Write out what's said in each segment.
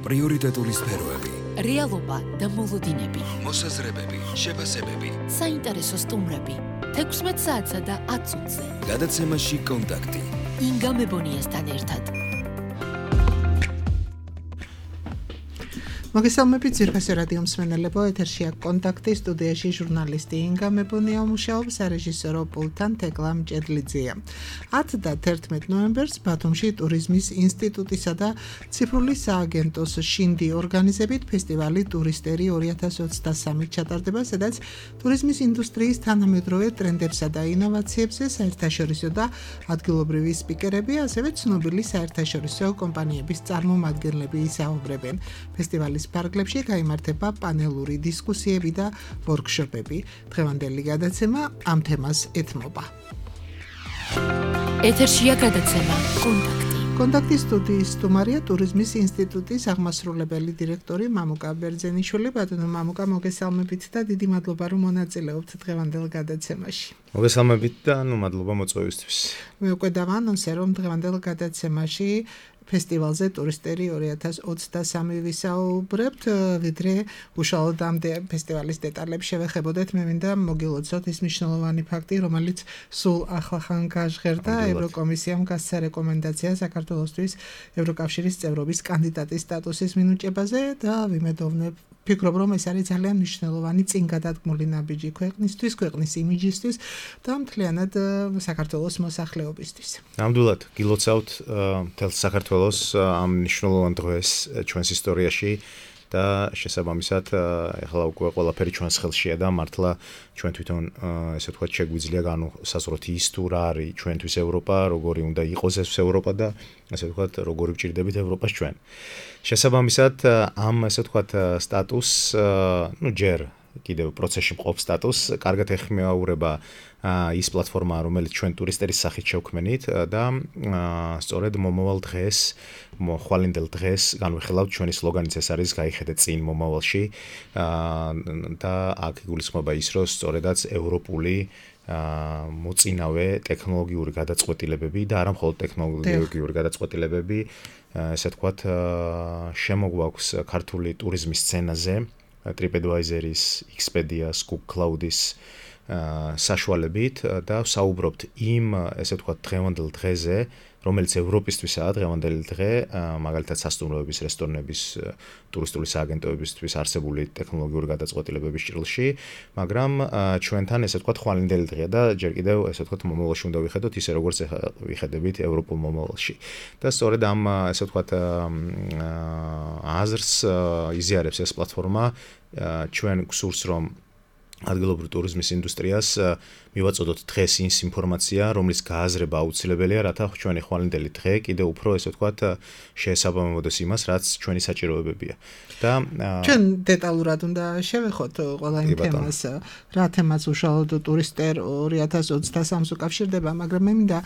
პრიორიტეტული სფეროები, რეალობა და მოლოდინები, მოსაზრებები, შეფასებები, საინტერესო სტუმრები, 16 საათსა და 10 წუთზე. გადაცემაში კონტაქტი. ინგა მებონიასთან ერთად. მოგესალმებით ძირფასი რადიო მსმენელებო, ეთერშია კონტაქტი, სტუდიაში ჟურნალისტი ინგა მებონია მუშაობს, სარეჟისორო პულტთან თეკლა მჭედლიძეა. 10 და 11 ნოემბერს ბათუმში ტურიზმის ინსტიტუტისა და ციფრული სააგენტოს შინდი ორგანიზებით ფესტივალი ტურისტერი 2023 ჩატარდება, სადაც ტურიზმის ინდუსტრიის თანამედროვე ტრენდებსა და ინოვაციებზე საერთაშორისო და ადგილობრივი სპიკერები, ასევე ცნობილი საერთაშორისო კომპანიების წარმომადგენლები ისაუბრებენ. ფესტივალის ფარგლებში გაიმართება პანელური დისკუსიები და ვორქშოპები. დღევანდელი გადაცემა ამ თემას ეთმობა. ეთერშია გადაცემა კონტაქტი. კონტაქტის სტუდიის სტუმარია ტურიზმის ინსტიტუტის აღმასრულებელი დირექტორი მამუკა ბერძენიშვილი. ბატონო მამუკა, მოგესალმებით და დიდი მადლობა რომ მონაწილეობთ დღევანდელ გადაცემაში. მოგესალმებით და მადლობა მოწვევისთვის. მე უკვე დავანონსე რომ დღევანდელ გადაცემაში ფესტივალზე ტურისტერი 2023 ვისაუბრებთ, ვიდრე უშუალოდ ამ ფესტივალის დეტალებს შევეხებოდეთ. მე მინდა მოგილოცოთ ის მნიშვნელოვანი ფაქტი, რომელიც სულ ახლახან გაჟღერდა. ევროკომისიამ გასცა რეკომენდაცია საქართველოსთვის ევროკავშირის წევრობის კანდიდატის სტატუსის მინიჭებაზე და ვფიქრობ, რომ ეს არის ძალიან მნიშვნელოვანი წინგადადგმული ნაბიჯი ქვეყნისთვის, ქვეყნის იმიჯისთვის და მთლიანად საქართველოს მოსახლეობისთვის. ნამდვილად გილოცავთ მთელ საქართველოს ამ მნიშვნელოვან დღეს ჩვენს ისტორიაში და შესაბამისად ეხლა უკვე ყველაფერი ჩვენს ხელშია და მართლა ჩვენ თვითონ ესე ვთქვათ შეგვიძლია განუსაზღვროთ ის თუ რა არის ჩვენთვის ევროპა, როგორი უნდა იყოს ეს ევროპა და ესე ვთქვათ როგორი ვჭირდებით ევროპას ჩვენ. შესაბამისად ამ ესე ვთქვათ სტატუსს ჯერ კიდევ პროცესში მყოფ სტატუსს კარგად ეხმეაურება ის პლატფორმა, რომელიც ჩვენ ტურისტერის სახით შევქმნით და სწორედ მომავალ დღეს, ხვალინდელ დღეს განვიხილავთ ჩვენი სლოგანიც ეს არის გაიხედე წინ მომავალში და აქ იგულისხმება ის, რომ სწორედაც ევროპული მოწინავე ტექნოლოგიური გადაწყვეტილებები და არა მხოლოდ ტექნოლოგიური გადაწყვეტილებები, ესე ვთქვათ, შემოგვაქვს ქართული ტურიზმის სცენაზე, TripAdvisor-ის, Expedia-ს, Cook Cloud-ის საშუალებით და ვსაუბრობთ იმ, ესე ვთქვათ, დღევანდელ დღეზე, რომელიც ევროპისთვისაა დღევანდელი დღე, მაგალითად სასტუმროების, რესტორნების, ტურისტული სააგენტოებისთვის არსებული ტექნოლოგიური გადაწყვეტილებების ჭრილში, მაგრამ ჩვენთან ესე ვთქვათ ხვალინდელი დღეა და ჯერ კიდევ ესე ვთქვათ მომავალში უნდა ვიხედოთ ისე როგორც ვიხედებით ევროპულ მომავალში. და სწორედ ამ ესე ვთქვათ აზრს იზიარებს ეს პლატფორმა ჩვენ გსურს რომ ადგილობრივ ტურიზმის ინდუსტრიას მივაწოდოთ დღეს ის ინფორმაცია, რომლის გააზრება აუცილებელია, რათა ჩვენი ხვალინდელი დღე კიდევ უფრო ესე ვთქვათ შეესაბამებოდეს იმას, რაც ჩვენი საჭიროებებია. და ჩვენ დეტალურად უნდა შევეხოთ ყველა იმ თემას, რა თემაც უშუალოდ ტურისტერ 2023-ს უკავშირდება, მაგრამ მე მინდა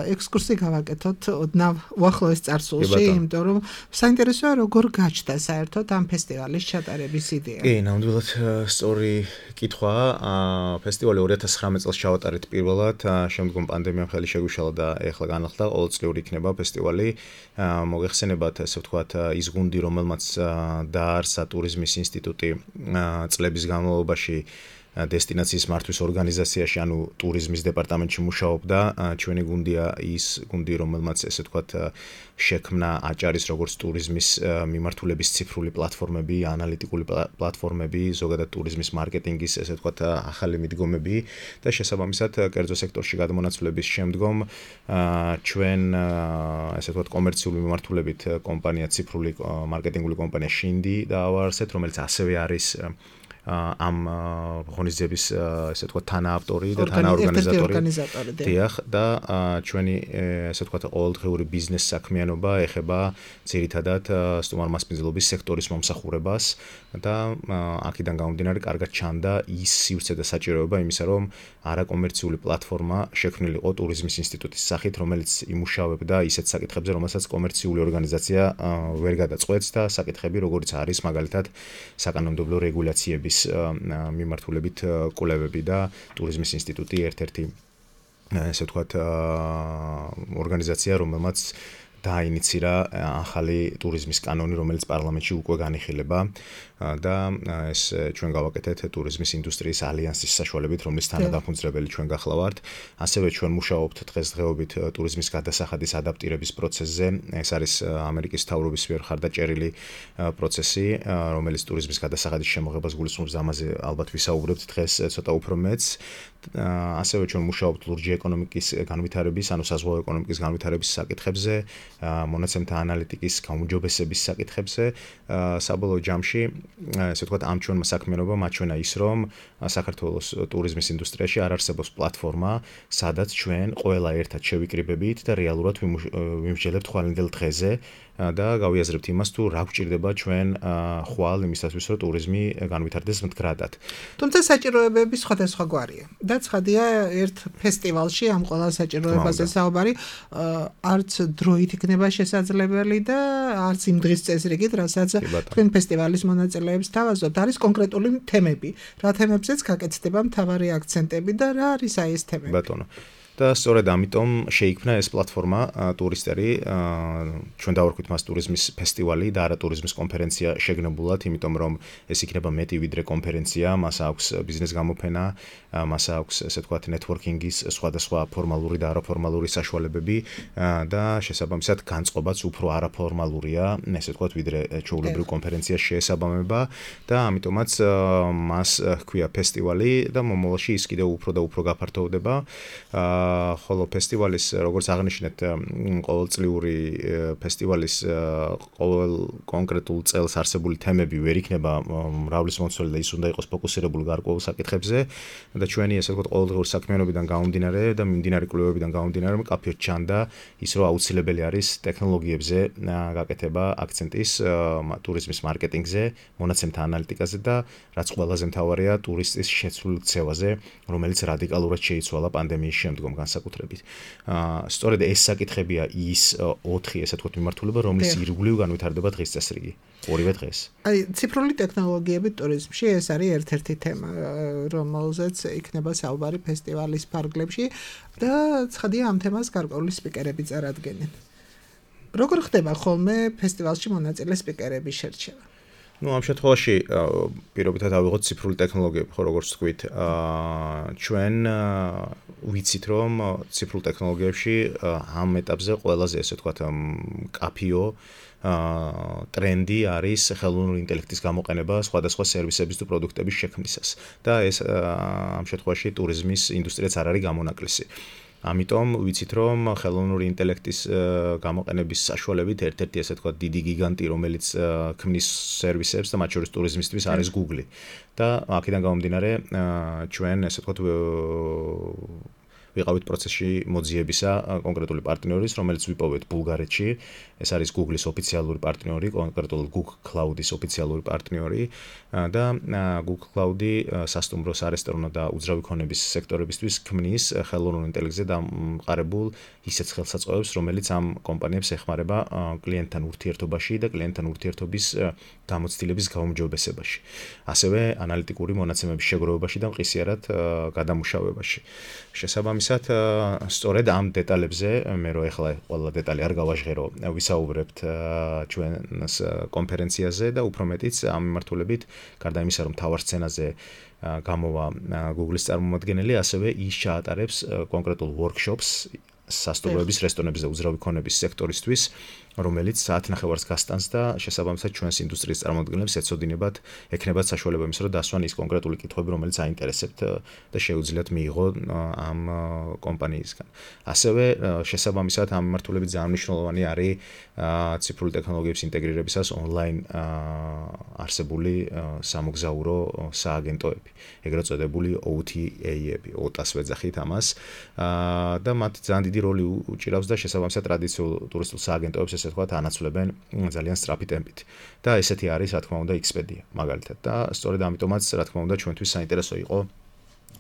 ექსკურსი გავაკეთოთ ოდნავ უახლოეს წარსულში, იმიტომ რომ საინტერესოა როგორ გაჩნდა საერთოდ ამ ფესტივალის ჩატარების იდეა. კი, ნამდვილად სწორი კითხვაა. ფესტივალი 2019 წელს ჩავატარეთ პირველად, შემდგომ პანდემიამ ხელი შეგვიშალა და ეხლა განახლდა, ყოველწლიური იქნება ფესტივალი. მოგეხსენებათ, ესე ვთქვათ, ის გუნდი, რომელმაც დაარსა ტურიზმის ინსტიტუტი წლების განმავლობაში დესტინაციის მართვის ორგანიზაციაში, ანუ ტურიზმის დეპარტამენტში მუშაობდა. ჩვენი გუნდია ის გუნდი, რომელმაც ესე ვთქვათ შექმნა აჭარის როგორც ტურიზმის მიმართულების ციფრული პლატფორმები, ანალიტიკური პლატფორმები, ზოგადად ტურიზმის მარკეტინგის ესე ვთქვათ ახალი მიდგომები და შესაბამისად კერძო სექტორში გადმონაცვლების შემდგომ ჩვენ ესე ვთქვათ კომერციული მიმართულებით კომპანია ციფრული მარკეტინგული კომპანია შინდი დაავარსეთ, რომელიც ასევე არის ამ ღონისძიების ესე ვთქვათ თანაავტორი და თანაორგანიზატორი. დიახ, და ჩვენი ესე ვთქვათ ყოველდღიური ბიზნეს საქმიანობა ეხება ძირითადად სტუმარ-მასპინძლობის სექტორის მომსახურებას და აქედან გამომდინარე კარგად ჩანდა ის სივრცე და საჭიროება იმისა, რომ არაკომერციული პლატფორმა შექმნილიყო ტურიზმის ინსტიტუტის სახით, რომელიც იმუშავებდა ისეთ საკითხებზე, რომელსაც კომერციული ორგანიზაცია ვერ გადაწყვეტს და საკითხები, როგორიც არის მაგალითად საკანონმდებლო რეგულაციების მიმართულებით კვლევები და ტურიზმის ინსტიტუტი ერთ-ერთი ესე ვთქვათ ორგანიზაცია, რომელმაც დაინიცირა ახალი ტურიზმის კანონი, რომელიც პარლამენტში უკვე განიხილება და ეს ჩვენ გავაკეთეთ ტურიზმის ინდუსტრიის ალიანსის საშუალებით, რომლის თანადამფუძნებელი ჩვენ გახლავართ. ასევე ჩვენ მუშაობთ დღესდღეობით ტურიზმის გადასახადის ადაპტირების პროცესზე. ეს არის ამერიკის მთავრობის მიერ ხარდაჭერილი პროცესი, რომელიც ტურიზმის გადასახადის შემოღებას გულისხმობს. ამაზე ალბათ ვისაუბრებთ დღეს ცოტა უფრო მეც. ასევე ჩვენ მუშაობთ ლურჯი ეკონომიკის განვითარების, ანუ საზღვაო ეკონომიკის განვითარების საკითხებზე, მონაცემთა ანალიტიკის გაუმჯობესების საკითხებზე. საბოლოო ჯამში, ესე ვთქვათ, ამ ჩვენმა საქმიანობამ აჩვენა ის, რომ საქართველოს ტურიზმის ინდუსტრიაში არ არსებობს პლატფორმა, სადაც ჩვენ ყველა ერთად შევიკრიბებით და რეალურად ვიმსჯელებთ ხვალინდელ დღეზე და გავიაზრებთ იმას, თუ რა გვჭირდება ჩვენ ხვალ იმისათვის, რომ ტურიზმი განვითარდეს მდგრადად. თუმცა საჭიროებები სხვადასხვა გვარია. და ცხადია, ერთ ფესტივალში ამ ყველა საჭიროებაზე საუბარი არც დროით იქნება შესაძლებელი და არც იმ დღის წესრიგით, რასაც თქვენ ფესტივალის მონაწილეებს თავაზობთ, არის კონკრეტული თემები. რა თემებზეც გაკეთდება მთავარი აქცენტები და რა არის აი ეს თემები? ბატონო. და სწორედ ამიტომ შეიქმნა ეს პლატფორმა ტურისტერი, ჩვენ დავარქვით მას ტურიზმის ფესტივალი და არა ტურიზმის კონფერენცია შეგნებულად, იმიტომ რომ ეს იქნება მეტი ვიდრე კონფერენცია, მას აქვს ბიზნეს გამოფენა, მას აქვს ესე ვთქვათ ნეტვორკინგის სხვადასხვა ფორმალური და არაფორმალური საშუალებები და შესაბამისად განწყობაც უფრო არაფორმალურია, ესე ვთქვათ ვიდრე ჩვეულებრივ კონფერენციას შეესაბამება და ამიტომაც მას ჰქვია ფესტივალი და მომავალში ის კიდევ უფრო და უფრო გაფართოვდება. ხოლო ფესტივალის, როგორც აღნიშნეთ, ყოველწლიური ფესტივალის ყოველ კონკრეტულ წელს არსებული თემები ვერ იქნება მრავლისმომცველი და ის უნდა იყოს ფოკუსირებული გარკვეულ საკითხებზე და ჩვენი ესე ვთქვათ ყოველდღიური საქმიანობიდან გამომდინარე და მიმდინარე კვლევებიდან გამომდინარე მკაფიოდ ჩანდა ის, რომ აუცილებელი არის ტექნოლოგიებზე გაკეთება აქცენტის ტურიზმის მარკეტინგზე, მონაცემთა ანალიტიკაზე და რაც ყველაზე მთავარია ტურისტის შეცვლილ ქცევაზე, რომელიც რადიკალურად შეიცვალა პანდემიის შემდგომ განსაკუთრებით. სწორედ ეს საკითხებია ის 4 ესე ვთქვათ მიმართულება, რომლის ირგვლივ განვითარდება დღის წესრიგი. ორივე დღეს. აი, ციფრული ტექნოლოგიები ტურიზმში ეს არის ერთ-ერთი თემა, რომელზეც იქნება საუბარი ფესტივალის ფარგლებში და ცხადია ამ თემას გარკვეული სპიკერები წარადგენენ. როგორ ხდება ხოლმე ფესტივალში მონაწილე სპიკერების შერჩევა? ამ შემთხვევაში პირობითად ავიღოთ ციფრული ტექნოლოგიები, ხო როგორც თქვით, ჩვენ ვიცით, რომ ციფრულ ტექნოლოგიებში ამ ეტაპზე ყველაზე ესე ვთქვათ მკაფიო ტრენდი არის ხელოვნური ინტელექტის გამოყენება სხვადასხვა სერვისების თუ პროდუქტების შექმნისას და ეს ამ შემთხვევაში ტურიზმის ინდუსტრიაც არ არის გამონაკლისი. ამიტომ ვიცით, რომ ხელოვნური ინტელექტის გამოყენების საშუალებით ერთ-ერთი ესე ვთქვათ დიდი გიგანტი, რომელიც ქმნის სერვისებს და მათ შორის ტურიზმისთვის არის Google. და აქედან გამომდინარე, ჩვენ ესე ვთქვათ ვიყავით პროცესში მოძიებისა კონკრეტული პარტნიორის, რომელიც ვიპოვეთ ბულგარეთში. ეს არის Google-ის ოფიციალური პარტნიორი, კონკრეტულად Google Cloud-ის ოფიციალური პარტნიორი და Google Cloud-ი სასტუმრო, სარესტორანო და უძრავი ქონების სექტორებისთვის ქმნის ხელოვნურ ინტელექტზე დამყარებულ ისეთ ხელსაწყოებს, რომელიც ამ კომპანიებს ეხმარება კლიენტთან ურთიერთობაში და კლიენტთან ურთიერთობის გამოცდილების გაუმჯობესებაში. ასევე ანალიტიკური მონაცემების შეგროვებაში და მყისიარად გადამუშავებაში. შესაბამისად, სწორედ ამ დეტალებზე, მე რო ეხლა ყველა დეტალი არ გავაჟღერო, ვისაუბრებთ ჩვენს კონფერენციაზე და უფრო მეტიც ამ მიმართულებით, გარდა იმისა, რომ მთავარ სცენაზე გამოვა Google-ის წარმომადგენელი, ასევე ის ჩაატარებს კონკრეტულ workshops სასტუმროების, რესტორნების და უძრავი ქონების სექტორისთვის, რომელიც საათნახევარს გასტანს და შესაბამისად ჩვენს ინდუსტრიის წარმომადგენლებს ექნებათ საშუალება იმის, რომ დასვან ის კონკრეტული კითხვები, რომელიც აინტერესებთ და შეუძლიათ მიიღო ამ კომპანიისგან. ასევე შესაბამისად ამ მიმართულებით ძალიან მნიშვნელოვანი არის ციფრული ტექნოლოგიების ინტეგრირებისას ონლაინ არსებული სამოგზაურო სააგენტოები, ეგრეთ წოდებული OTA-ები, OTA-ს ვეძახით ამას და მათ ძალიან დიდი როლი უჭირავს და შესაბამისად ტრადიციულ ტურისტულ სააგენტოებს ესე ვთქვათ ანაცვლებენ ძალიან სწრაფი ტემპით. და ესეთი არის, რა თქმა უნდა, Expedia მაგალითად. და სწორედ ამიტომაც, რა თქმა უნდა, ჩვენთვის საინტერესო იყო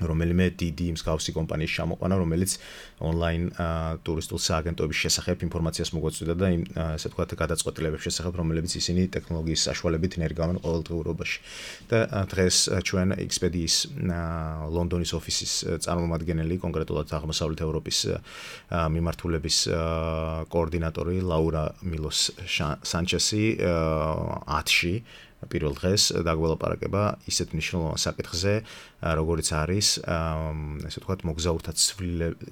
რომელიმე დიდი მსგავსი კომპანიის ჩამოყვანა, რომელიც ონლაინ ტურისტულ სააგენტოების შესახებ ინფორმაციას მოგვაწვდა და იმ ასე ვთქვათ გადაწყვეტილებების შესახებ, რომლებიც ისინი ტექნოლოგიის საშუალებით ნერგავენ ყოველდღიურობაში. და დღეს ჩვენ Expedia-ის ლონდონის ოფისის წარმომადგენელი, კონკრეტულად აღმოსავლეთ ევროპის მიმართულების კოორდინატორი ლაურა მილოს სანჩესი 10-ში პირველ დღეს დაგველაპარაკება ისეთ მნიშვნელოვან საკითხზე, როგორიც არის, ესე ვთქვათ, მოგზაურთა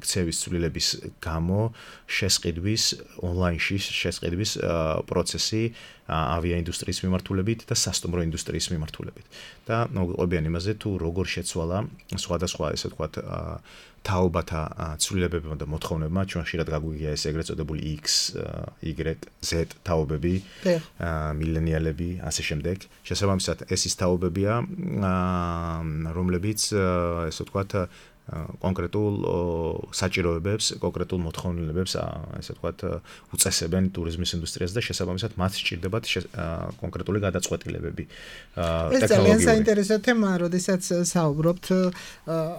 ქცევის ცვლილების გამო შესყიდვის ონლაინში შესყიდვის პროცესი ავიაინდუსტრიის მიმართულებით და სასტუმრო ინდუსტრიის მიმართულებით. და მოგვიყვებიან იმაზე, თუ როგორ შეცვალა სხვადასხვა, ესე ვთქვათ, თაობათა ცვლილებებმა და მოთხოვნებმა, ჩვენ ხშირად გაგვიგია ეს ეგრეთ წოდებული X, Y, Z თაობები, მილენიალები, ასე შემდეგ. შესაბამისად, ეს ის თაობებია, რომლებიც, ესე ვთქვათ, კონკრეტულ საჭიროებებს, კონკრეტულ მოთხოვნილებებს, ესე ვთქვათ, უწესებენ ტურიზმის ინდუსტრიას და შესაბამისად მათ სჭირდებათ კონკრეტული გადაწყვეტილებები. ეს ძალიან საინტერესო თემაა, როდესაც საუბრობთ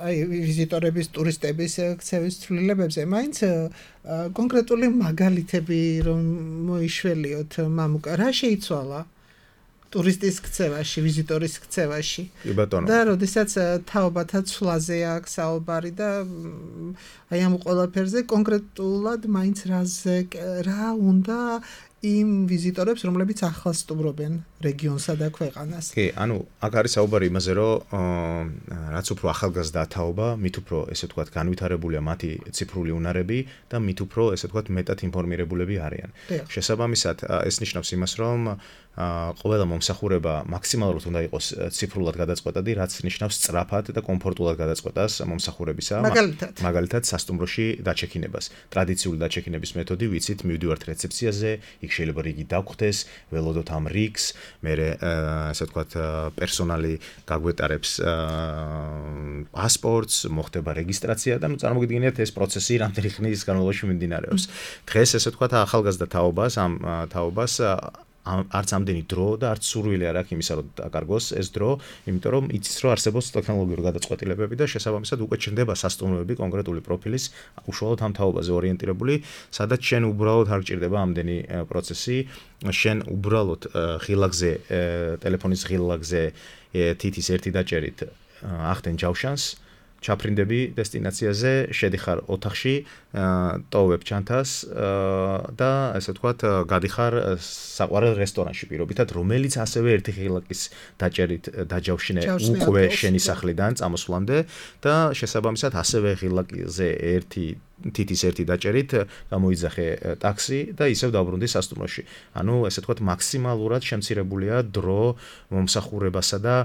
აი ვიზიტორების, ტურისტების ქცევის ცვლილებებზე. მაინც კონკრეტული მაგალითები რომ მოიშველიოთ, მამუკა, რა შეიცვალა ტურისტის ქცევაში, ვიზიტორის ქცევაში. და როდესაც თაობათა ცვლაზე აქვს საუბარი და აი ამ ყველაფერზე კონკრეტულად მაინც რა უნდა იმ ვიზიტორებს, რომლებიც ახლა სტუმრობენ რეგიონსა და ქვეყანას. კი, ანუ აქ არის საუბარი იმაზე, რომ რაც უფრო ახალგაზრდა თაობა, მით უფრო, ესე ვთქვათ, განვითარებულია მათი ციფრული უნარები და მით უფრო, ესე ვთქვათ, მეტად ინფორმირებულები არიან. შესაბამისად, ეს ნიშნავს იმას, რომ ყველა მომსახურება მაქსიმალურად უნდა იყოს ციფრულად გადაწყვეტადი, რაც ნიშნავს სწრაფად და კომფორტულად გადაწყვეტას მომსახურებისა. მაგალითად, სასტუმროში დაჩექინებას. ტრადიციული დაჩექინების მეთოდი ვიცით, მივდივართ რეცეფციაზე, იქ შეიძლება რიგი დაგხვდეს, ველოდოთ ამ რიგს, მერე ასე ვთქვათ, პერსონალი გაგვეტარებს პასპორტს, მოხდება რეგისტრაცია და წარმოგიდგენიათ ეს პროცესი რამდენი ხნის განმავლობაში მიმდინარეობს. დღეს ესე ვთქვათ, ახალგაზრდა თაობას, ამ თაობას არც ამდენი დრო და არც სურვილი არ აქვს იმისა, რომ დაკარგოს ეს დრო, იმიტომ რომ იცის, რომ არსებობს ტექნოლოგიური გადაწყვეტილებები და შესაბამისად უკვე ჩნდება სასტუმროები კონკრეტული პროფილის, უშუალოდ ამ თაობაზე ორიენტირებული, სადაც შენ უბრალოდ არ გჭირდება ამდენი პროცესი, შენ უბრალოდ ღილაკზე, ტელეფონის ღილაკზე თითის ერთი დაჭერით ახდენ ჯავშანს, ჩაფრინდები დესტინაციაზე, შედიხარ ოთახში, ტოვებ ჩანთას და ასე ვთქვათ, გადიხარ საყვარელ რესტორანში პირობითად, რომელიც ასევე ერთი ღილაკის დაჭერით დაჯავშნე უკვე შენი სახლიდან წამოსვლამდე და შესაბამისად ასევე ღილაკზე თითის ერთი დაჭერით გამოიძახე ტაქსი და ისევ დაბრუნდი სასტუმროში. ანუ ესე ვთქვათ, მაქსიმალურად შემცირებულია დრო მომსახურებასა და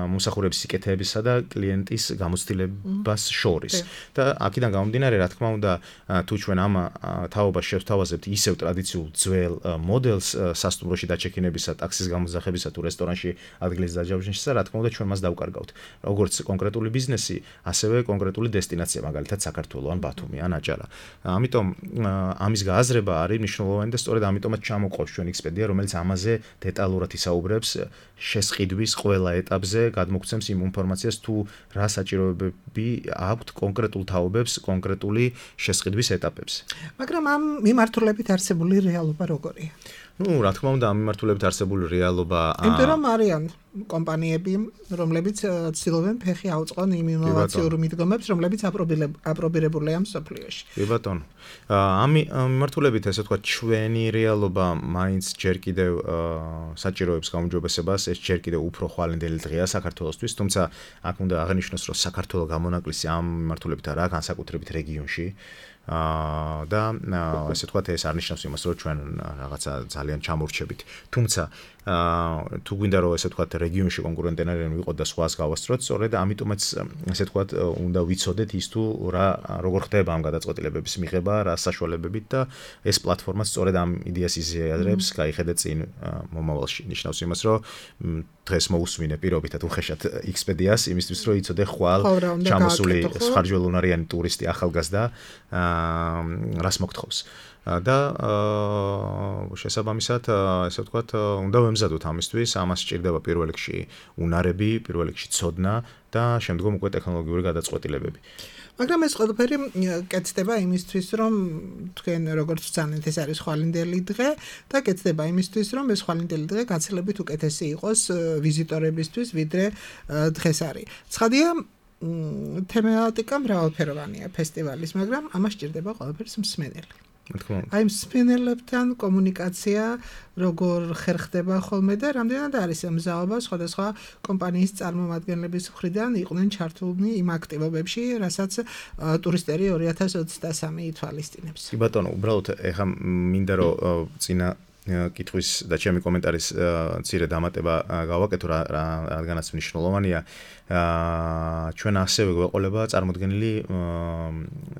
მომსახურების სიკეთეებისა და კლიენტის გამოცდილებას შორის. და აქედან გამომდინარე, რა თქმა უნდა, თუ ჩვენ ამ თაობას შევთავაზებთ ისევ ტრადიციულ ძველ მოდელს სასტუმროში დაჩექინებისა, ტაქსის გამოძახებისა თუ რესტორანში ადგილის დაჯავშნისა, რა თქმა უნდა, ჩვენ მას დავკარგავთ. როგორც კონკრეტული ბიზნესი, ასევე კონკრეტული დესტინაცია, მაგალითად საქართველო ან ბათუმი ან აჭარა. ამიტომ ამის გააზრება არის მნიშვნელოვანი და სწორედ ამიტომაც ჩამოყავს ჩვენ Expedia, რომელიც ამაზე დეტალურად ისაუბრებს შესყიდვის ყველა ეტაპზე, გადმოგცემს იმ ინფორმაციას, თუ რა საჭიროებები აქვთ კონკრეტულ თაობებს, კონკრეტული შესყიდვის ეტაპებზე. მაგრამ ამ მიმართულებით არსებული რეალობა როგორია? ნუ, რა თქმა უნდა, ამ მიმართულებით არსებული რეალობა იმიტომ რომ არიან კომპანიები, რომლებიც ცდილობენ ფეხი აუწყონ იმ ინოვაციურ მიდგომებს, რომლებიც აპრობირებულია მსოფლიოში. კი ბატონო. ამ მიმართულებით, ესე ვთქვათ, ჩვენი რეალობა მაინც ჯერ კიდევ საჭიროებს გაუმჯობესებას, ეს ჯერ კიდევ უფრო ხვალინდელი დღეა საქართველოსთვის, თუმცა აქ უნდა აღნიშნოს, რომ საქართველოს გამონაკლისი ამ მიმართულებით არაა, განსაკუთრებით რეგიონში. და ესე ვთქვათ, ეს არ ნიშნავს იმას, რომ ჩვენ რაღაცა ძალიან ჩამორჩებით. თუმცა თუ გვინდა რომ ესე ვთქვათ, რეგიონში კონკურენტები ვიყოთ და სხვას გავასწროთ, სწორედ ამიტომაც ესე ვთქვათ, უნდა ვიცოდეთ ის თუ როგორ ხდება ამ გადაწყვეტილებების მიღება, რა საშუალებებით და ეს პლატფორმა სწორედ ამ იდეას იზიარებს, გაიხედეთ წინ მომავალში. ნიშნავს იმას, რომ დღეს მოусმინე პირობითად უხეშად Expedia-ს, იმისთვის რომ იცოდე ხვალ ჩამოსული სხარჯველუნარიანი ტურისტი ახალგაზრდა რას მოგთხოვს. და შესაბამისად, ესე ვთქვათ, უნდა ვემზადოთ ამისთვის, ამას სჭირდება პირველ პირველ რიგში უნარები, პირველ რიგში ცოდნა და შემდგომ უკვე ტექნოლოგიური გადაწყვეტილებები. მაგრამ ეს ყველაფერი კეთდება იმისთვის, რომ თქვენ როგორც ვცანეთ, ეს არის ხვალინდელი დღე და კეთდება იმისთვის, რომ ეს ხვალინდელი დღე გაცილებით უკეთესი იყოს ვიზიტორებისთვის, ვიდრე დღეს არის. ცხადია, თემატიკა მრავალფეროვანია ფესტივალის, მაგრამ ამას სჭირდება ყველაფერს მსმენელი. აი მსმენელებთან კომუნიკაცია როგორ ხერხდება ხოლმე და რამდენად არის მზაობა სხვადასხვა კომპანიის წარმომადგენლების მხრიდან იყვნენ ჩართულნი იმ აქტივობებში, რასაც ტურისტერი 2023 ითვალისწინებს. კი ბატონო, უბრალოდ ეხა მინდა რომ წინა კითხვის და ჩემი კომენტარის მცირე დამატება გავაკეთო, რადგანაც მნიშვნელოვანია. ჩვენ ასევე გვეყოლება წარმოდგენილი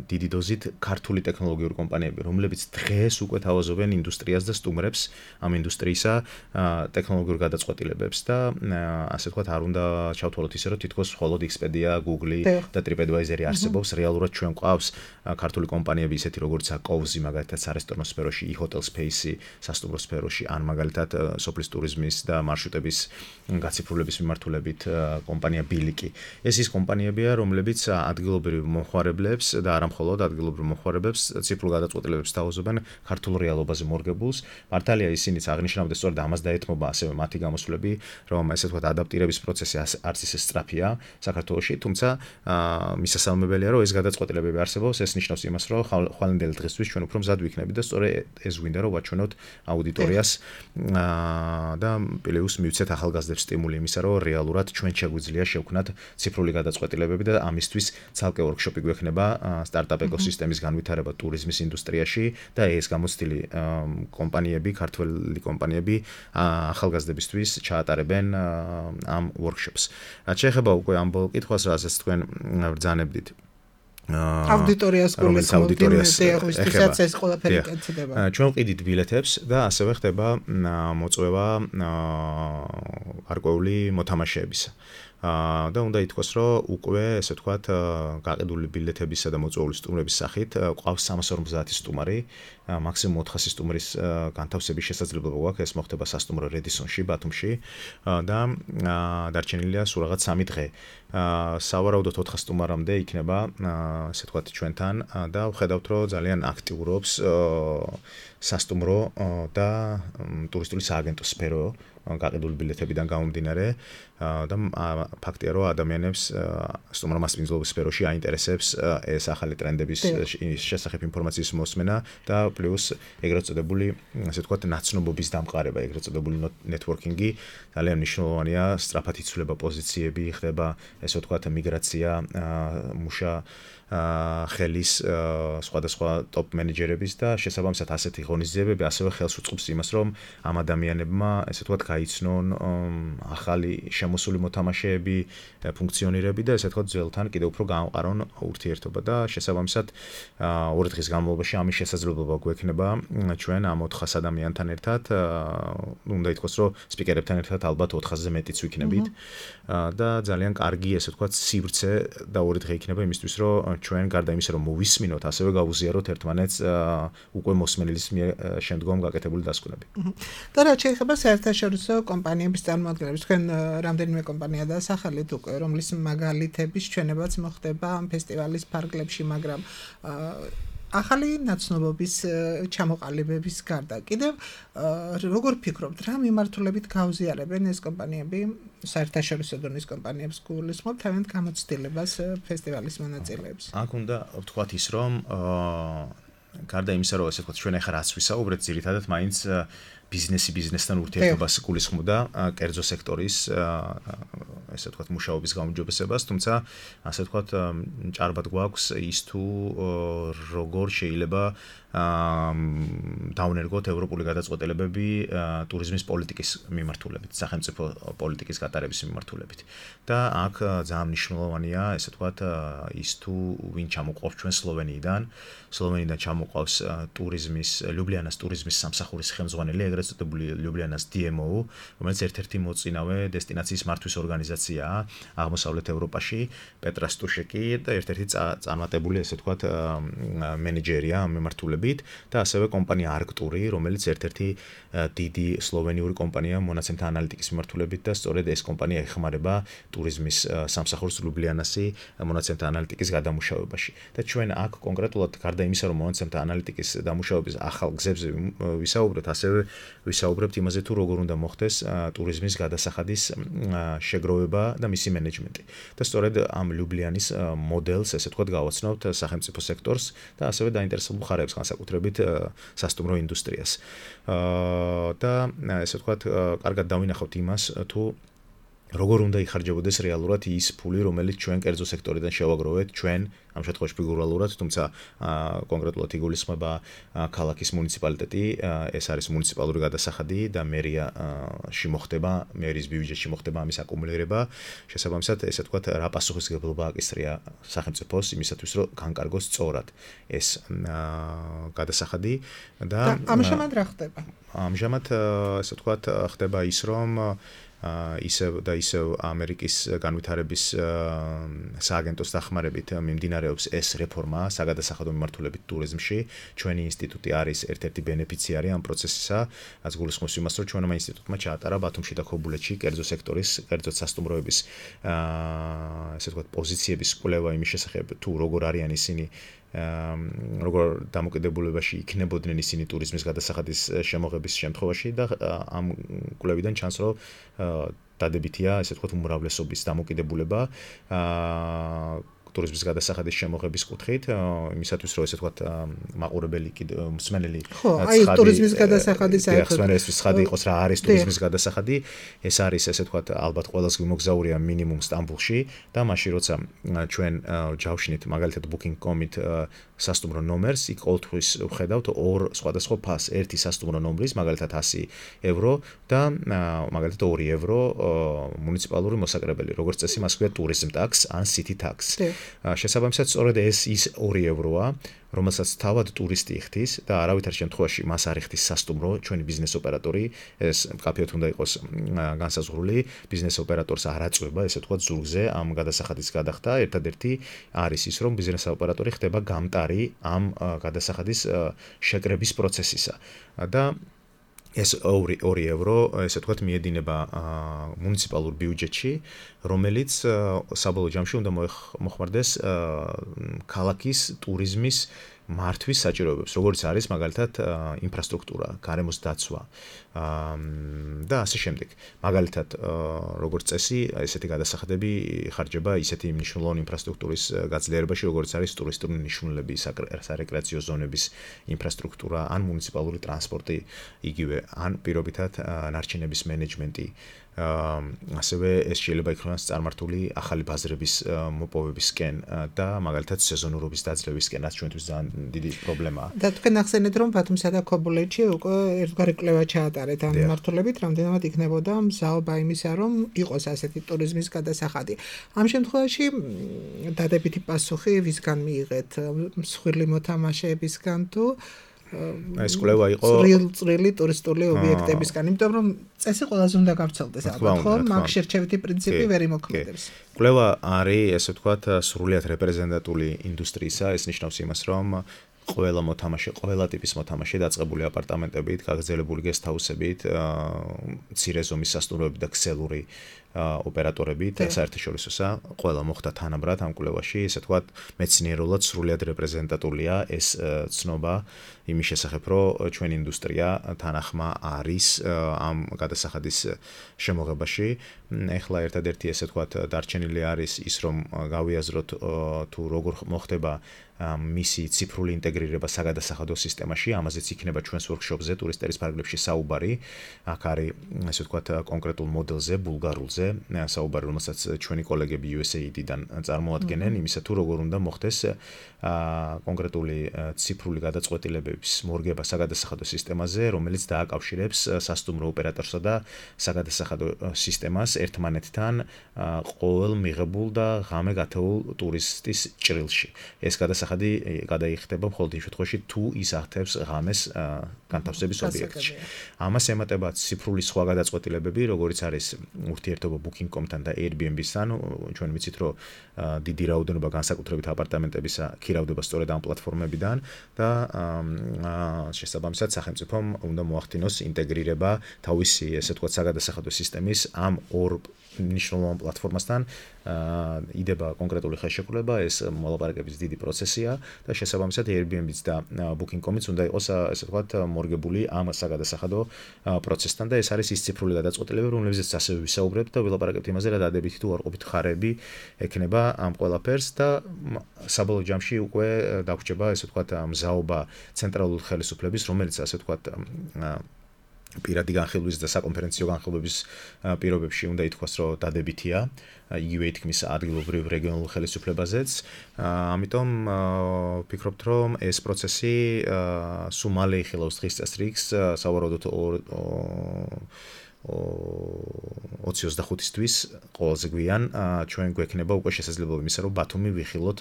დიდი დოზით ქართული ტექნოლოგიური კომპანიები, რომლებიც დღეს უკვე თავაზობენ ინდუსტრიას და სტუმრებს ამ ინდუსტრიისა ტექნოლოგიურ გადაწყვეტილებებს და ასე ვთქვათ, არ უნდა ჩავთვალოთ ისე, რომ თითქოს მხოლოდ Expedia, Google და TripAdvisor არსებობს. რეალურად ჩვენ გვყავს ქართული კომპანიები ისეთი როგორც Cozy, მაგალითად სარესტორნო სფეროში, e-hotel space, სასტუმრო სფეროში, ან მაგალითად სოფლის ტურიზმის და მარშრუტების გაციფრულების მიმართულებით კომპანია ბილიკი. ეს ის კომპანიებია, რომლებიც ადგილობრივ მომხმარებლებს და არა მხოლოდ ადგილობრივ მომხმარებლებს ციფრულ გადაწყვეტილებებს თავაზობენ ქართულ რეალობაზე მორგებულს. მართალია ისინიც აღნიშნავდნენ, სწორედ ამას დაეთმობა ასევე მათი გამოსვლები, რომ ესე ვთქვათ, ადაპტირების პროცესი არც ისე სწრაფია საქართველოში, თუმცა მისასალმებელია, რომ ეს გადაწყვეტილებები არსებობს. ეს ნიშნავს იმას, რომ ხვალინდელი დღესთვის ჩვენ უფრო მზად ვიქნებით და სწორედ ეს გვინდა, რომ ვაჩვენოთ აუდიტორიას და პლუს მივცეთ ახალგაზრდებს სტიმული იმისა, რომ რეალურად ჩვენ შეგვიძლია შევქნათ ციფრული გადაწყვეტილებები და ამისთვის ცალკე ვორქშოპი გვექნება სტარტაპ ეკოსისტემის განვითარება ტურიზმის ინდუსტრიაში და ეს გამოცდილი კომპანიები, ქართველი კომპანიები ახალგაზრდებისთვის ჩაატარებენ ამ ვორქშოპს. რაც შეეხება უკვე ამ ბოლო კითხვას, რასაც თქვენ ბრძანებდით. აუდიტორიას გულისხმობთ, ეს ყველაფერი კეთდება. ჩვენ ვყიდით ბილეთებს და ასევე ხდება მოწვევა გარკვეული მოთამაშეებისა. და უნდა ითქვას, რომ უკვე ესე ვთქვათ, გაყიდული ბილეთებისა და მოწვეული სტუმრების სახით ყავს 350 სტუმარი, მაქსიმუმ 400 სტუმრის განთავსების შესაძლებლობა გვაქვს. ეს მოხდება სასტუმრო რედისონში, ბათუმში და დარჩენილია სულ რაღაც 3 დღე. სავარაუდოდ 400 სტუმარამდე იქნება, ესე ვთქვათ, ჩვენთან და ვხედავთ, რომ ძალიან აქტიურობს სასტუმრო და ტურისტული სააგენტო სფერო გაყიდული ბილეთებიდან გამომდინარე და ფაქტია, რომ ადამიანებს სტუმრ-მასპინძლობის სფეროში აინტერესებს ეს ახალი ტრენდების შესახებ ინფორმაციის მოსმენა და პლუს ეგრეთ წოდებული, ასე ვთქვათ, ნაცნობობის დამყარება, ეგრეთ წოდებული ნეტვორკინგი ძალიან მნიშვნელოვანია, სწრაფად იცვლება პოზიციები, ხდება, ესე ვთქვათ, მიგრაცია მუშა ხელის სხვადასხვა ტოპ მენეჯერების და შესაბამისად ასეთი ღონისძიებები ასევე ხელს უწყობს იმას, რომ ამ ადამიანებმა, ესე ვთქვათ, გაიცნონ ახალი შემოსული მოთამაშეები, ფუნქციონირები და ესე ვთქვათ, ძველთან კიდევ უფრო გაამყარონ ურთიერთობა და შესაბამისად 2 დღის განმავლობაში ამის შესაძლებლობა გვექნება ჩვენ ამ 400 ადამიანთან ერთად, უნდა ითქვას, რომ სპიკერებთან ერთად ალბათ 400-ზე მეტიც ვიქნებით და ძალიან კარგი, ესე ვთქვათ, სივრცე და 2 დღე იქნება იმისთვის, რომ ჩვენ გარდა იმისა, რომ მოვისმინოთ, ასევე გავუზიაროთ ერთმანეთს უკვე მოსმენელის მიერ შემდგომ გაკეთებული დასკვნები. და რაც შეეხება საერთაშორისო კომპანიების წარმოადგენლებს, თქვენ რამდენიმე კომპანია დაასახელეთ უკვე, რომლის მაგალითების ჩვენებაც მოხდება ამ ფესტივალის ფარგლებში, მაგრამ ახალი ნაცნობობის ჩამოყალიბების გარდა კიდევ როგორ ფიქრობთ, რა მიმართულებით გაუზიარებენ ეს კომპანიები საერთაშორისო დონის კომპანიებს გულისხმობთ თავიანთ გამოცდილებას ფესტივალის მონაწილეებს? აქ უნდა ვთქვათ ის, რომ გარდა იმისა, რომ ესე ვთქვათ, ჩვენ ახლა რაც ვისაუბრეთ, ძირითადად მაინც ბიზნესთან ურთიერთობას გულისხმობდა კერძო სექტორის ესე ვთქვათ მუშაობის გაუმჯობესებას, თუმცა ასე ვთქვათ ჭარბად გვაქვს ის თუ როგორ შეიძლება დავნერგოთ ევროპული გადაწყვეტილებები ტურიზმის პოლიტიკის მიმართულებით, სახელმწიფო პოლიტიკის გატარების მიმართულებით. და აქ ძალიან მნიშვნელოვანია, ესე ვთქვათ, ის თუ ვინ ჩამოყავს ჩვენ სლოვენიიდან ჩამოყავს ტურიზმის, ლიუბლიანას ტურიზმის სამსახურის ხელმძღვანელი, ეგრეთ წოდებული ლიუბლიანას DMO, რომელიც ერთ-ერთი მოწინავე დესტინაციის მართვის ორგანიზაცია ორგანიზაციაა აღმოსავლეთ ევროპაში, პეტრა სტუშეკი და ერთ-ერთი წარმატებული, ესე ვთქვათ, მენეჯერია მიმართულებით და ასევე კომპანია არქტური, რომელიც ერთ-ერთი დიდი სლოვენიური კომპანია მონაცემთა ანალიტიკის მიმართულებით და სწორედ ეს კომპანია ეხმარება ტურიზმის სამსახურს ლუბლიანასი მონაცემთა ანალიტიკის გადამუშავებაში. და ჩვენ აქ კონკრეტულად გარდა იმისა, რომ მონაცემთა ანალიტიკის დამუშავების ახალ გზებზე ვისაუბრებთ, ასევე ვისაუბრებთ იმაზე, თუ როგორ უნდა მოხდეს ტურიზმის გადასახადის შეგროვება და მისი მენეჯმენტი. და სწორედ ამ ლუბლიანის მოდელს, ესე ვთქვათ, გავაცნობთ სახელმწიფო სექტორს და ასევე დაინტერესებულ მხარეებს, განსაკუთრებით სასტუმრო ინდუსტრიას. და ესე ვთქვათ, კარგად დავინახავთ იმას, თუ როგორ უნდა იხარჯებოდეს რეალურად ის ფული, რომელიც ჩვენ კერძო სექტორიდან შევაგროვეთ, ჩვენ ამ შემთხვევაში ფიგურალურად, თუმცა კონკრეტულად იგულისხმება ქალაქის მუნიციპალიტეტი, ეს არის მუნიციპალური გადასახადი და მერიაში მოხდება, მერის ბიუჯეტში მოხდება ამის აკუმულირება. შესაბამისად, ესე ვთქვათ, რა პასუხისმგებლობა აკისრია სახელმწიფოს იმისათვის, რომ განკარგოს სწორად ეს გადასახადი და ამჟამად რა ხდება? ამჟამად, ესე ვთქვათ, ხდება ის, რომ ისევ ამერიკის განვითარების სააგენტოს დახმარებით მიმდინარეობს ეს რეფორმა საგადასახადო მიმართულებით ტურიზმში. ჩვენი ინსტიტუტი არის ერთ-ერთი ბენეფიციარი ამ პროცესისა, რაც გულისხმობს იმას, რომ ჩვენმა ინსტიტუტმა ჩაატარა ბათუმში და ქობულეთში კერძო სექტორის, კერძო სასტუმროების ესე ვთქვათ, პოზიციების კვლევა იმის შესახებ, თუ როგორ არიან ისინი როგორ დამოკიდებულებაში იქნებოდნენ ისინი ტურიზმის გადასახადის შემოღების შემთხვევაში და ამ კვლევიდან ჩანს, რომ დადებითია, ესე ვთქვათ, უმრავლესობის დამოკიდებულება ტურიზმის გადასახადის შემოღების კუთხით, იმისათვის, რომ ესე ვთქვათ, მაყურებელი მსმენელი ტურიზმის გადასახადის ცხადი იყოს, რა არის ტურიზმის გადასახადი, ეს არის, ესე ვთქვათ, ალბათ ყველას გვიმოგზაურია მინიმუმ სტამბულში და მაშინ როცა ჩვენ ჯავშნით, მაგალითად booking.com-ით სასტუმრო ნომერს, იქ ყოველთვის ვხედავთ ორ სხვადასხვა ფასს, ერთი სასტუმრო ნომრის, მაგალითად 100 ევრო და მაგალითად 2 ევრო მუნიციპალური მოსაკრებელი, როგორც წესი მას ქვია tourism tax ან city tax. შესაბამისად, სწორედ ეს ის 2 ევროა, რომელსაც თავად ტურისტი იხდის და არავითარ შემთხვევაში მას არ იხდის სასტუმრო, ჩვენი ბიზნეს ოპერატორი, ეს მკაფიოდ უნდა იყოს განსაზღვრული, ბიზნეს ოპერატორს არ აწვება, ესე ვთქვათ, ზურგზე ამ გადასახადის გადახდა, ერთადერთი არის ის, რომ ბიზნეს ოპერატორი ხდება გამტარი ამ გადასახადის შეკრების პროცესისა. და ეს 2 ევრო, ესე ვთქვათ, მიედინება მუნიციპალურ ბიუჯეტში, რომელიც საბოლოო ჯამში უნდა მოხმარდეს ქალაქის ტურიზმის მართვის საჭიროებებს, როგორც არის მაგალითად ინფრასტრუქტურა, გარემოს დაცვა და ასე შემდეგ. მაგალითად, როგორც წესი, ესეთი გადასახადები ხარჯება ისეთი მნიშვნელოვანი ინფრასტრუქტურის გაძლიერებაში, როგორც არის ტურისტული ნიშნულები, სარეკრეაციო ზონების ინფრასტრუქტურა, ან მუნიციპალური ტრანსპორტი, იგივე, ან პირობითად ნარჩენების მენეჯმენტი. ასევე ეს შეიძლება იქნას წარმართული ახალი ბაზრების მოპოვებისკენ და მაგალითად სეზონურობის დაძლევისკენ, რაც ჩვენთვის ძალიან დიდი პრობლემაა. და თქვენ ახსენეთ, რომ ბათუმსა და ქობულეთში უკვე ერთგვარი კვლევა ჩაატარეთ ამ მიმართულებით, რამდენად იქნებოდა მზაობა იმისა, რომ იყოს ასეთი ტურიზმის გადასახადი. ამ შემთხვევაში დადებითი პასუხი ვისგან მიიღეთ? მსხვილი მოთამაშეებისგან თუ ეს კვლევა იყო წვრილი ტურისტული ობიექტებისგან, იმიტომ რომ წესი ყველაზე უნდა გავრცელდეს, ალბათ, ხო? მაგ შერჩევითი პრინციპი ვერ იმოქმედებს. კვლევა არის, ესე ვთქვათ, სრულიად რეპრეზენტატული ინდუსტრიისა, ეს ნიშნავს იმას, რომ ყველა მოთამაშე, ყველა ტიპის მოთამაშე დაწყებული აპარტამენტებით, გაგრძელებული გესტჰაუსებით, მცირე ზომის სასტუმროებით და ქსელური ოპერატორებით, საერთაშორისოსა, ყველა მოხდა თანაბრად ამ კვლევაში, ესე ვთქვათ, მეცნიერულად სრულიად რეპრეზენტატულია ეს ცნობა იმის შესახებ, რომ ჩვენი ინდუსტრია თანახმა არის ამ გადასახადის შემოღებაში. ეხლა ერთადერთი, ესე ვთქვათ, დარჩენილი არის ის, რომ გავიაზროთ თუ როგორ მოხდება მისი ციფრული ინტეგრირება საგადასახადო სისტემაში, ამაზეც იქნება ჩვენს ვორქშოპზე, ტურისტერის ფარგლებში საუბარი. აქ არის, ესე ვთქვათ, კონკრეტულ მოდელზე, ბულგარულზე, საუბარი, რომელსაც ჩვენი კოლეგები USAID-დან წარმოადგენენ, იმისა თუ როგორ უნდა მოხდეს კონკრეტული ციფრული გადაწყვეტილებების მორგება საგადასახადო სისტემაზე, რომელიც დააკავშირებს სასტუმრო ოპერატორსა და საგადასახადო სისტემას ერთმანეთთან ყოველ მიღებულ და ღამე გათეულ ტურისტის ჭრილში. ეს გადასახადი გადასახადი გადაიხდება მხოლოდ იმ შემთხვევაში თუ ის აღწევს ღამეს განთავსების ობიექტში. ამას ემატება ციფრული სხვა გადაწყვეტილებები, როგორიც არის ურთიერთობა Booking.com-თან და Airbnb-სთან. ჩვენ ვიცით, რომ დიდი რაოდენობა განსაკუთრებით აპარტამენტებისა ქირავდება სწორედ ამ პლატფორმებიდან და შესაბამისად სახელმწიფომ უნდა მოახდინოს ინტეგრირება თავისი, ესე ვთქვათ, საგადასახადო სისტემის ამ ორ მნიშვნელოვან პლატფორმასთან. იდება კონკრეტული ხელშეკრულება, ეს მოლაპარაკების დიდი პროცესია და შესაბამისად Airbnb-ც და Booking.com-იც უნდა იყოს, ესე ვთქვათ, მორგებული ამ საგადასახადო პროცესთან და ეს არის ის ციფრული გადაწყვეტილებები, რომლებზეც ასევე ვისაუბრებთ და ვილაპარაკებთ იმაზე, რა დადებითი თუ უარყოფითი ხარები ექნება ამ ყველაფერს და საბოლოო ჯამში უკვე დაგვრჩება, ესე ვთქვათ, მზაობა ცენტრალური ხელისუფლების, რომელიც ასე ვთქვათ პირადი განხილვის და საკონფერენციო განხილვების პირობებში უნდა ითქვას, რომ დადებითია, იგივე ითქმის ადგილობრივ რეგიონულ ხელისუფლებაზეც. ამიტომ ვფიქრობთ, რომ ეს პროცესი სულ მალე იხილავს დღის წესრიგს, სავარაუდოდ 25-ისთვის ყველაზე გვიან ჩვენ გვექნება უკვე შესაძლებლობა იმისა, რომ ბათუმი ვიხილოთ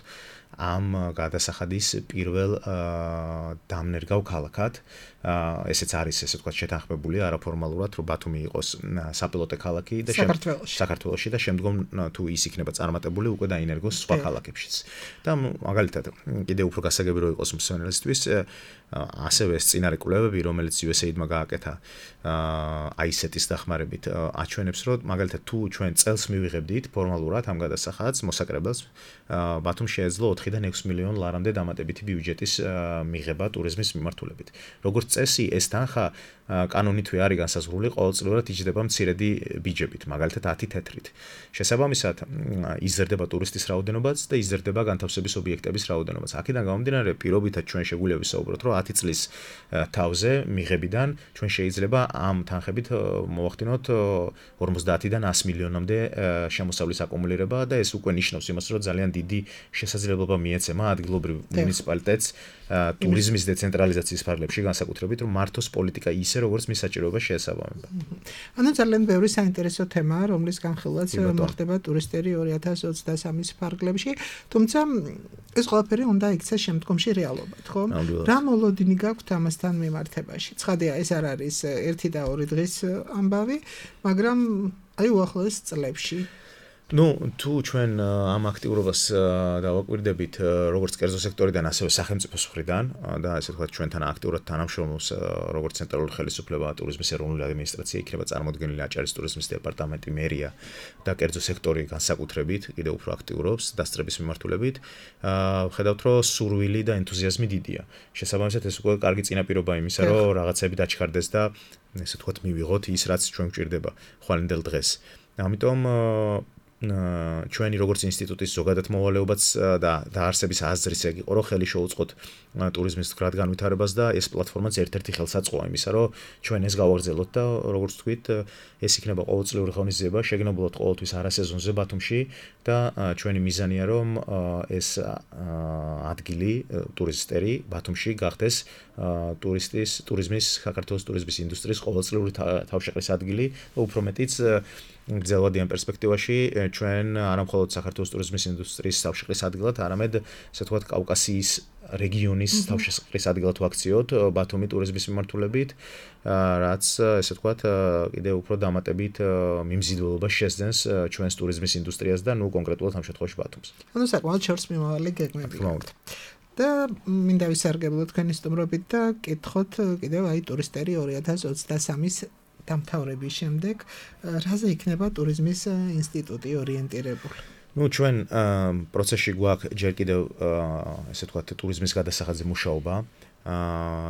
ამ გადასახადის პირველ დამნერგავ ქალაქად. ესეც არის, ესე ვთქვათ, შეთანხმებული არაფორმალურად, რომ ბათუმი იყოს საპილოტე ქალაქი და საქართველოში და შემდგომ თუ ის იქნება წარმატებული, უკვე დაინერგოს სხვა ქალაქებშიც. და მაგალითად, კიდევ უფრო გასაგები რო იყოს მსმენელისთვის, ასევე ეს წინარე კვლევები, რომელიც USAID-მა გააკეთა ISET-ის დახმარებით, აჩვენებს, რომ მაგალითად თუ ჩვენ წელს მივიღებდით ფორმალურად ამ გადასახადს, მოსაკრებელს, ბათუმს შეეძლო 4-დან 6 მილიონ ლარამდე დამატებითი ბიუჯეტის მიღება ტურიზმის მიმართულებით. როგორც წესი, ეს თანხა კანონითვე არის განსაზღვრული, ყოველწლიურად იჯდება მცირედი ბიჯებით, მაგალითად 10 თეთრით. შესაბამისად, იზრდება ტურისტის რაოდენობაც და იზრდება განთავსების ობიექტების რაოდენობაც. აქედან გამომდინარე, პირობითად ჩვენ შეგვიძლია ვისაუბროთ, რომ 10 წლის თავზე მიღებიდან ჩვენ შეიძლება ამ თანხებით მოვახდინოთ 50-დან 100 მილიონამდე შემოსავლის აკუმულირება და ეს უკვე ნიშნავს იმას, რომ ძალიან დიდი შესაძლებლობა მიეცემა ადგილობრივ მუნიციპალიტეტს ტურიზმის დეცენტრალიზაციის ფარგლებში, განსაკუთრებით რომ მართოს პოლიტიკა ისე, როგორც მის საჭიროებას შეესაბამება. ანუ ძალიან ბევრი საინტერესო თემაა, რომლის განხილვაც მოხდება ტურისტერი 2023-ის ფარგლებში, თუმცა ეს ყველაფერი უნდა იქცეს შემდგომში რეალობად, ხო? რა მოლოდინი გაქვთ ამასთან მიმართებაში? ცხადია, ეს არ არის 1 და 2 დღის ამბავი, მაგრამ აი უახლოეს წლებში თუ ჩვენ ამ აქტიურობას დავაკვირდებით როგორც კერძო სექტორიდან, ასევე სახელმწიფოს მხრიდან და ასე ვთქვათ, ჩვენთან აქტიურად თანამშრომლობს როგორც ცენტრალური ხელისუფლება, ტურიზმის ეროვნული ადმინისტრაცია, იქნება წარმოდგენილი აჭარის ტურიზმის დეპარტამენტი, მერია და კერძო სექტორი განსაკუთრებით კიდევ უფრო აქტიურობს დასწრების მიმართულებით. ვხედავთ, რომ სურვილი და ენთუზიაზმი დიდია. შესაბამისად, ეს უკვე კარგი წინაპირობა იმისა, რომ რაღაცები დაჩქარდეს და ესე ვთქვათ, მივიღოთ ის, რაც ჩვენ გვჭირდება ხვალინდელ დღეს. ამიტომ ჩვენი როგორც ინსტიტუტის ზოგადად მოვალეობაც და დაარსების აზრის ეგ იყო, რომ ხელი შეუწყოთ ტურიზმის მდგრად განვითარებას და ეს პლატფორმაც ერთ-ერთი ხელსაწყოა იმისა, რომ ჩვენ ეს გავაგრძელოთ და როგორც თქვით, ეს იქნება ყოველწლიური ღონისძიება, შეგნებულად ყოველთვის არასეზონზე ბათუმში და ჩვენი მიზანია, რომ ეს ადგილი ტურისტერი ბათუმში გახდეს ტურიზმის, საქართველოს ტურიზმის ინდუსტრიის ყოველწლიური თავშეყრის ადგილი და უფრო მეტიც გრძელვადიან პერსპექტივაში ჩვენ არა მხოლოდ საქართველოს ტურიზმის ინდუსტრიის თავშეყრის ადგილად, არამედ ასე ვთქვათ, კავკასიის რეგიონის თავშეყრის ადგილად ვაქციოთ ბათუმი ტურიზმის მიმართულებით, რაც ესე ვთქვათ, კიდევ უფრო დამატებით მიმზიდველობას შეძენს ჩვენს ტურიზმის ინდუსტრიას და ნუ კონკრეტულად ამ შემთხვევაში ბათუმს. ანუ საკმაოდ შორს მიმავალი გეგმები გაქვთ. და მინდა ვისარგებლო თქვენი სტუმრობით და კითხოთ კიდევ აი ტურისტერი 2023-ის დამთავრების შემდეგ რაზე იქნება ტურიზმის ინსტიტუტი ორიენტირებული? ჩვენ პროცესში გვაქვს ჯერ კიდევ ესე ვთქვათ ტურიზმის გადასახადზე მუშაობა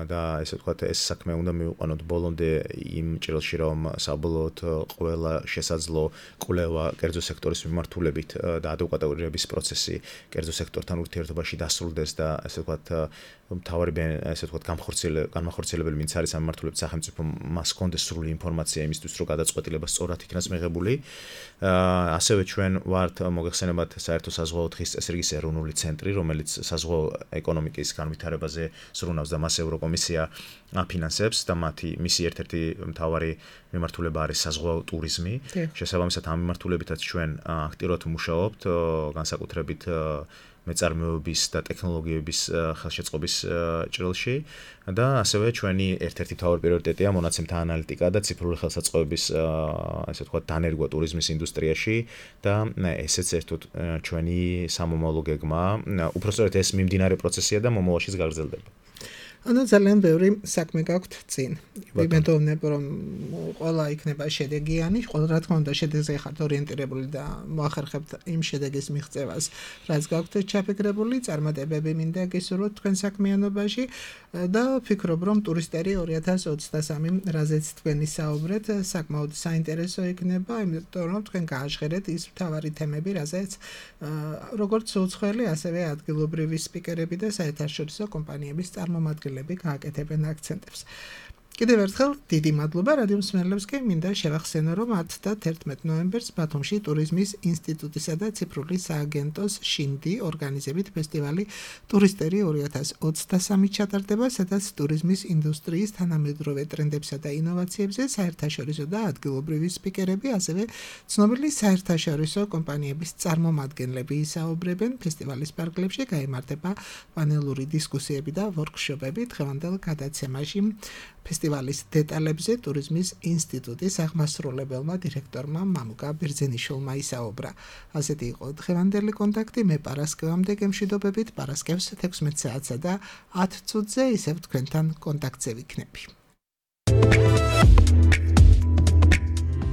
და ესე ვთქვათ ეს საქმე უნდა მივიყვანოთ ბოლომდე იმ ჭრილში, რომ საბოლოოდ ყველა შესაძლო კვლევა კერძო სექტორის მიმართულებით და ადეკვატურების პროცესი კერძო სექტორთან ურთიერთობაში დასრულდეს და ესე ვთქვათ მთავარი ესე ვთქვათ განმახორციელებელი ვინც არის ამ მიმართულებით სახელმწიფო მას ჰქონდეს სრული ინფორმაცია იმისთვის, რომ გადაწყვეტილება სწორად იქნას მიღებული. ასევე ჩვენ ვართ მოგეხსენებათ საერთო საზღვაო დღის წესრიგის ეროვნული ცენტრი, რომელიც საზღვაო ეკონომიკის განვითარებაზე ზრუნავს მოიცავს და მას ევროკომისია აფინანსებს და მისი ერთ-ერთი მთავარი მიმართულება არის საზღვაო ტურიზმი. შესაბამისად ამ მიმართულებითაც ჩვენ აქტიურად ვმუშაობთ, განსაკუთრებით მეწარმეობის და ტექნოლოგიების ხელშეწყობის ჭრილში და ასევე ჩვენი ერთ-ერთი მთავარი პრიორიტეტია მონაცემთა ანალიტიკა და ციფრული ხელსაწყოების ასე ვთქვათ დანერგვა ტურიზმის ინდუსტრიაში და ესეც ერთად ჩვენი სამომავლო გეგმაა. უпростоრეთ ეს მიმდინარე პროცესია და მომავალშიც გაგრძელდება. ანუ ძალიან ბევრი საქმე გაქვთ წინ. ვიმედოვნებ რომ ყველა იქნება შედეგიანი, რა თქმა უნდა შედეგზე ხართ ორიენტირებული და მოახერხებთ იმ შედეგის მიღწევას, რაც გაქვთ ჩაფიქრებული, წარმატებები მინდა გისურვოთ თქვენ საქმიანობაში და ვფიქრობ რომ ტურისტერი 2023, რაზეც თქვენ ისაუბრეთ, საკმაოდ საინტერესო იქნება, იმიტომ რომ თქვენ გააჟღერეთ ის მთავარი თემები, რაზეც როგორც უცხოელი, ასევე ადგილობრივი სპიკერები და საერთაშორისო კომპანიების წარმომადგენლები გააკეთებენ აქცენტებს. კიდევ ერთხელ დიდი მადლობა რადიო მსმენელებს კი მინდა შევახსენო რომ 10 და 11 ნოემბერს ბათუმში ტურიზმის ინსტიტუტისა და ციფრული სააგენტოს შინდი ორგანიზებით ფესტივალი ტურისტერი 2023 ჩატარდება, სადაც ტურიზმის ინდუსტრიის თანამედროვე ტრენდებსა და ინოვაციებზე საერთაშორისო და ადგილობრივი სპიკერები, ასევე ცნობილი საერთაშორისო კომპანიების წარმომადგენლები ისაუბრებენ. ფესტივალის პარკლებში გაიმართება პანელური დისკუსიები და ვორქშოპები. დღევანდელ გადაცემაში ფესტივალის დეტალებზე ტურიზმის ინსტიტუტის აღმასრულებელმა დირექტორმა მამუკა ბერძენიშვილმა ისაუბრა. ასეთი იყო დღევანდელი კონტაქტი. მე პარასკევამდე გემშვიდობებით, პარასკევს 16 საათსა და 10 წუთზე ისევ თქვენთან კონტაქტზე ვიქნები.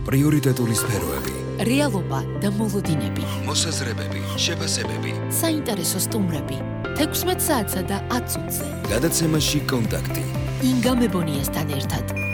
პრიორიტეტული სფეროები, რეალობა და მოლოდინები, მოსაზრებები, შეფასებები, საინტერესო სტუმრები 16 საათსა და 10 წუთზე. გადაცემაში კონტაქტი. ინგა მებონიასთან ერთად.